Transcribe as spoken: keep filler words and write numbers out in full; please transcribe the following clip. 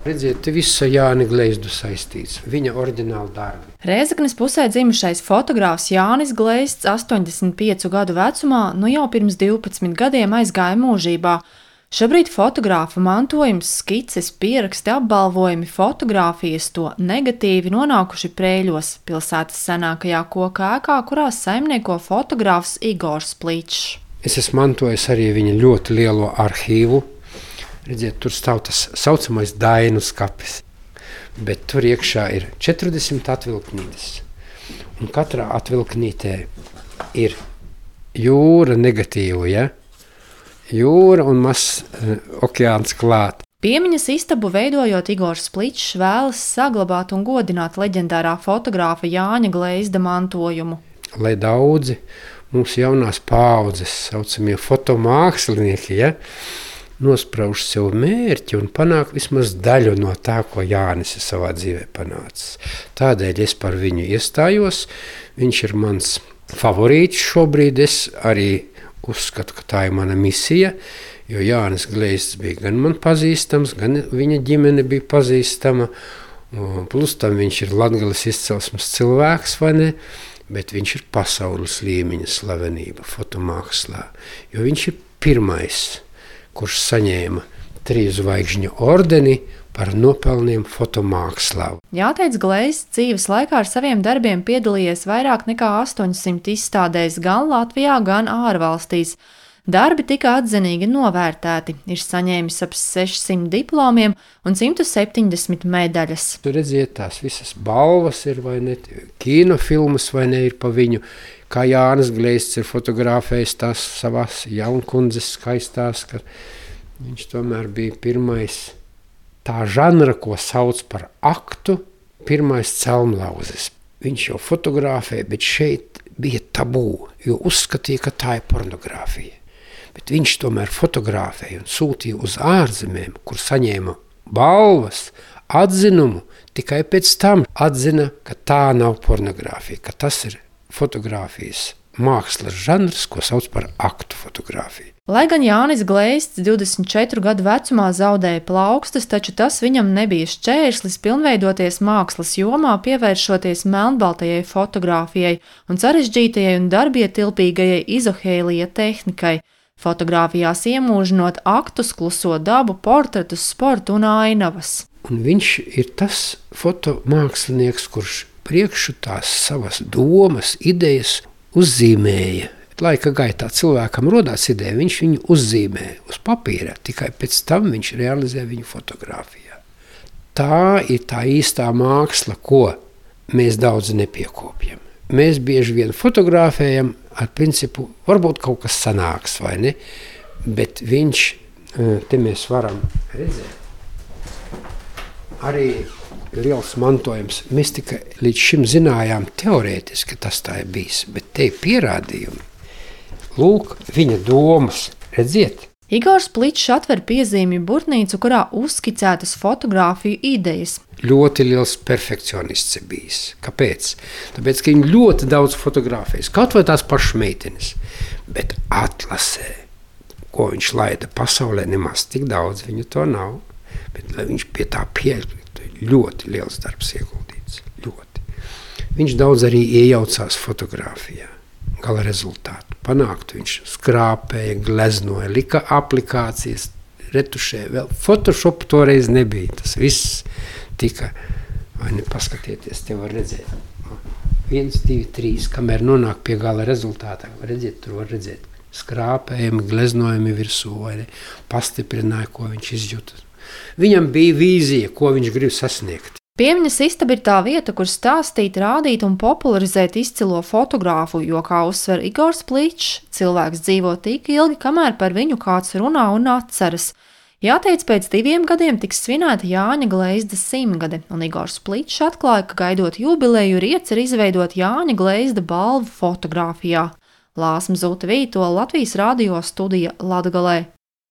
Redziet, te viss ar Jāni Gleizdu saistīts, viņa oriģināli darbi. Rēzeknes pusē dzimušais fotogrāfs Jānis Gleizds astoņdesmit piecu gadu vecumā nu jau pirms divpadsmit gadiem aizgāja mūžībā. Šobrīd fotogrāfa mantojums, skices, pieraksti, apbalvojumi, fotogrāfijas to negatīvi nonākuši Prēļos, pilsētas senākajā koka ēkā, kurā saimnieko fotogrāfs Igors Pličs. Es esmu mantojis arī viņa ļoti lielo arhīvu. Redziet, tur stāv tas saucamais dainu skapis, bet tur iekšā ir četrdesmit atvilknītes. Un katrā atvilknītē ir jūra negatīvu, ja? Jūra un mazs uh, okeāns klāt. Piemiņas istabu veidojot, Igors Pličs vēlas saglabāt un godināt leģendārā fotogrāfa Jāņa Gleizda mantojumu. Lai daudzi mūsu jaunās paaudzes saucamie fotomākslinieki, ja, nosprauž sev mērķi un panāk vismaz daļu no tā, ko Jānis ir savā dzīvē panācis. Tādēļ es par viņu iestājos. Viņš ir mans favorīts šobrīd. Es arī uzskatu, ka tā ir mana misija, jo Jānis Gleizds bija gan man pazīstams, gan viņa ģimene bija pazīstama. Plus tam viņš ir Latgales izcelsmes cilvēks, vai ne? Bet viņš ir pasaules līmeņa slavenība fotomākslā, jo viņš ir pirmais, kurš saņēma trīs zvaigžņu ordeni par nopelniem fotomākslā. Jāteic, Gleizds dzīves laikā ar saviem darbiem piedalījies vairāk nekā astoņsimt izstādēs gan Latvijā, gan ārvalstīs. Darbi tika atzinīgi novērtēti, ir saņēmis ap sešsimt diplomiem un simt septiņdesmit medaļas. Tur redziet, tās visas balvas ir vai ne, kinofilmas vai ne ir pa viņu, kā Jānis Gleizds ir fotografējis tās savās jaunkundzes skaistās, ka viņš tomēr bija pirmais tā žanra, ko sauc par aktu, pirmais celmlauzes. Viņš jau fotografēja, bet šeit bija tabū, jo uzskatīja, ka tā ir pornogrāfija. Bet viņš tomēr fotografēja un sūtīja uz ārzemēm, kur saņēma balvas, atzinumu, tikai pēc tam atzina, ka tā nav pornogrāfija, ka tas ir fotogrāfijas mākslas žanrs, ko sauc par aktu fotogrāfiju. Lai gan Jānis Gleizds divdesmit četru gadu vecumā zaudēja plaukstas, taču tas viņam nebija šķērslis pilnveidoties mākslas jomā, pievēršoties melnbaltajai fotogrāfijai un sarežģītajai un darbietilpīgajai izohēlija tehnikai. Fotogrāfijās iemūžinot aktus, kluso dabu, portretus, sportu un ainavas. Un viņš ir tas fotomākslinieks, kurš priekšu tās savas domas, idejas uzzīmēja. Laika gaitā cilvēkam rodās ideja, viņš viņu uzzīmē uz papīra, tikai pēc tam viņš realizē viņu fotogrāfijā. Tā ir tā īstā māksla, ko mēs daudz nepiekopjam. Mēs bieži vien fotografējam ar principu, varbūt kaut kas sanāks, vai ne? Bet viņš, te mēs varam redzēt, arī liels mantojums. Mēs tikai līdz šim zinājām teorētiski, tas tā ir bijis, bet te ir pierādījumi. Lūk, viņa domas, redziet. Igors Pličs atver piezīmju burtnīcu, kurā uzskicētas fotogrāfiju idejas. Ļoti liels perfekcionists ir bijis. Kāpēc? Tāpēc, ka viņi ļoti daudz fotografējas, kaut vai tās pašas meitenes, bet atlasē, ko viņš laida pasaulē, nemaz tik daudz viņu to nav, bet lai viņš pie tā pieļautu, ļoti liels darbs ieguldīts, ļoti. Viņš daudz arī iejaucās fotogrāfijā, gala rezultātu panāktu, viņš skrāpēja, gleznoja, lika aplikācijas, retušē, vēl Photoshop toreiz nebija, tas viss tika, vai ne, paskatieties, te var redzēt, viens, divi, trīs, kamēr nonāk pie gala rezultātā, var redzēt, tur var redzēt, skrāpējumi, gleznojumi virsū, vai ne, pastiprināja, ko viņš izjūta. Viņam bija vīzija, ko viņš grib sasniegt. Piemiņas istaba ir tā vieta, kur stāstīt, rādīt un popularizēt izcilo fotogrāfu, jo, kā uzsver Igors Pličs, cilvēks dzīvo tik ilgi, kamēr par viņu kāds runā un atceras. Jāteic, pēc diviem gadiem tiks svinēta Jāņa Gleizda simtgade, un Igors Pličs atklāja, ka gaidot jubileju ir iecer izveidot Jāņa Gleizda balvu fotogrāfijā. Lāsma Zūta Vītola, Latvijas radio studija Latgalē.